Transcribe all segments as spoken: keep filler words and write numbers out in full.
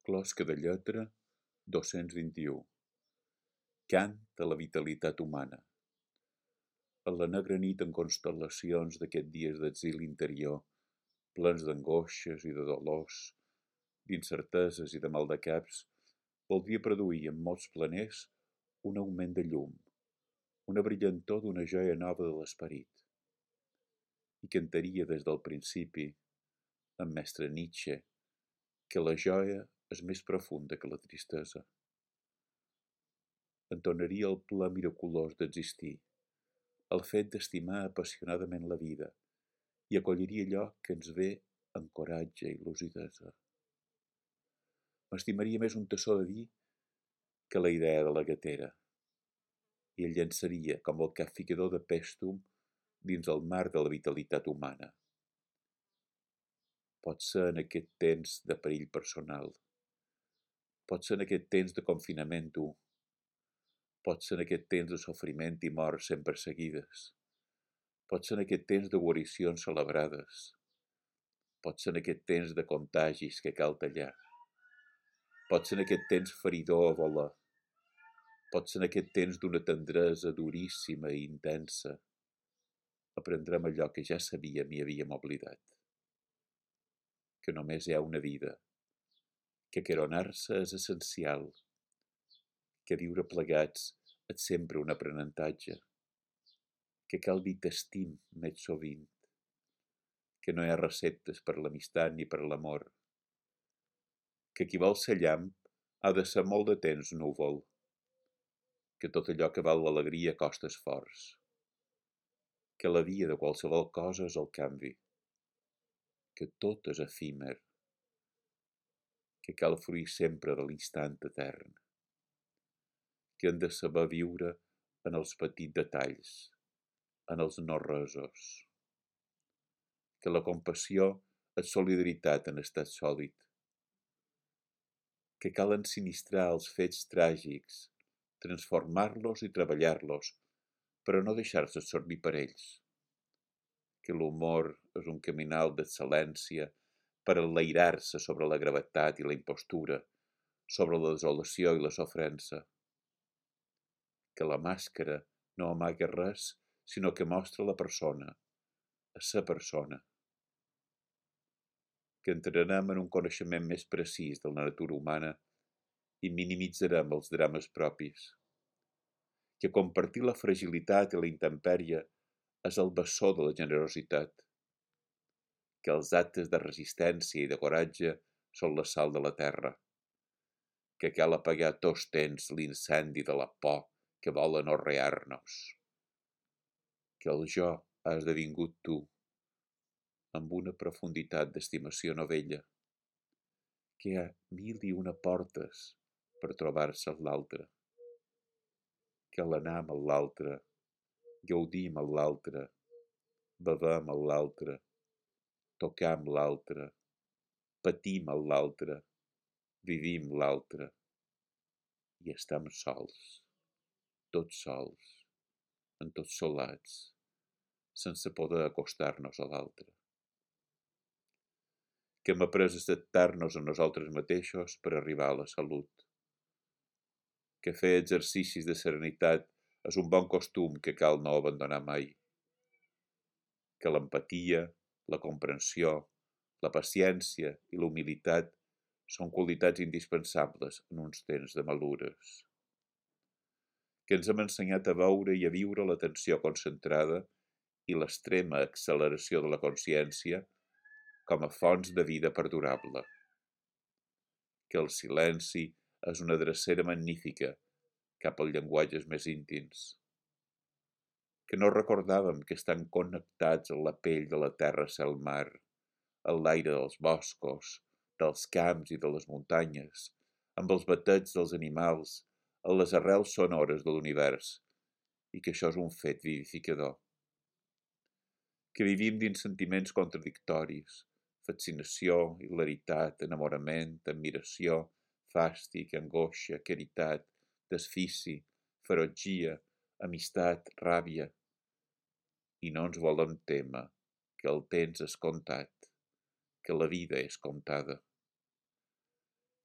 Closca de lletra dos-cents vint-i-u. Cant de la vitalitat humana. En la negra nit en constel·lacions d'aquests dies d'exili interior, plens d'angoixes i de dolors, d'incerteses i de maldecaps, voldria produir en molts planers un augment de llum, una brillantor d'una joia nova de l'esperit. I cantaria des del principi, en mestre Nietzsche, que la joia és més profunda que la tristesa. Entonaria el ple miraculós d'existir, el fet d'estimar apassionadament la vida, i acolliria allò que ens ve amb coratge i lucidesa. M'estimaria més un tassó de vi que la idea de la gatera, i el llançaria com el capficador de pèstum dins el mar de la vitalitat humana. Pot ser en aquest temps de perill personal, pot ser en aquest temps de confinament dur, pot ser en aquest temps de sofriment i mort sempre seguides, pot ser en aquest temps de guaricions celebrades, pot ser en aquest temps de contagis que cal tallar, pot ser en aquest temps feridor a voler, pot ser en aquest temps d'una tendresa duríssima i intensa. Aprendrem allò que ja sabíem i havíem oblidat, que només hi ha una vida, que queronar-se és essencial, que viure plegats és sempre un aprenentatge, que cal dir t'estim més sovint, que no hi ha receptes per l'amistat ni per l'amor, que qui vol ser llamp ha de ser molt de temps núvol, que tot allò que val l'alegria costa esforç, que la via de qualsevol cosa és el canvi, que tot és efímer, que cal fruir sempre de l'instant etern, que hem de saber viure en els petits detalls, en els no-resos, que la compassió és solidaritat en estat sòlid, que cal ensinistrar els fets tràgics, transformar-los i treballar-los, però no deixar-se absorbir per ells, que l'humor és un caminal d'excel·lència per enlairar-se sobre la gravetat i la impostura, sobre la desolació i la sofrença, que la màscara no amaga res, sinó que mostra la persona, a sa persona, que entrarem en un coneixement més precís de la natura humana i minimitzarem els drames propis, que compartir la fragilitat i la intempèrie és el bessó de la generositat, que els actes de resistència i de coratge són la sal de la terra, que cal apagar tots temps l'incendi de la por que vol anorrear-nos, que el jo ha esdevingut tu, amb una profunditat d'estimació novella, que hi ha mil i una portes per trobar-se amb l'altre, que l'anar amb l'altre, gaudim amb l'altre, bevem amb l'altre, tocam l'altre, patim amb l'altre, vivim l'altre, i estem sols, tots sols, en tots solats, sense poder acostar-nos a l'altre. Que hem après a acceptar-nos a nosaltres mateixos per arribar a la salut. Que fer exercicis de serenitat és un bon costum que cal no abandonar mai. Que l'empatia, la comprensió, la paciència i la humilitat són qualitats indispensables en uns temps de malures. Que ens hem ensenyat a veure i a viure l'atenció concentrada i l'extrema acceleració de la consciència com a fonts de vida perdurable. Que el silenci és una drecera magnífica cap als llenguatges més íntims. Que no recordàvem que estan connectats a la pell de la terra, cel, mar, a l'aire dels boscos, dels camps i de les muntanyes, amb els batets dels animals, a les arrels sonores de l'univers, i que això és un fet vivificador. Que vivim dins sentiments contradictoris, fascinació, hilaritat, enamorament, admiració, fàstic, angoixa, caritat, desfici, ferotgia, amistat, ràbia, i no ens volem témer que el temps és comptat, que la vida és comptada.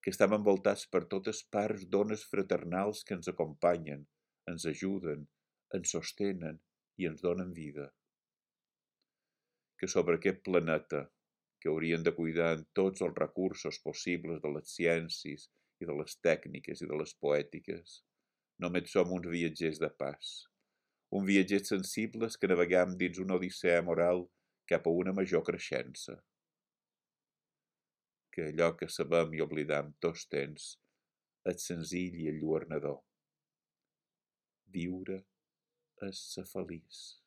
que estem envoltats per totes parts d'ones fraternals que ens acompanyen, ens ajuden, ens sostenen i ens donen vida. Que sobre aquest planeta, que haurien de cuidar en tots els recursos possibles de les ciències i de les tècniques i de les poètiques, només som uns viatgers de pas, uns viatgers sensibles que navegam dins una odissea moral cap a una major creixença. Que allò que sabem i oblidam tots temps és senzill i enlluernador. Viure és ser feliç.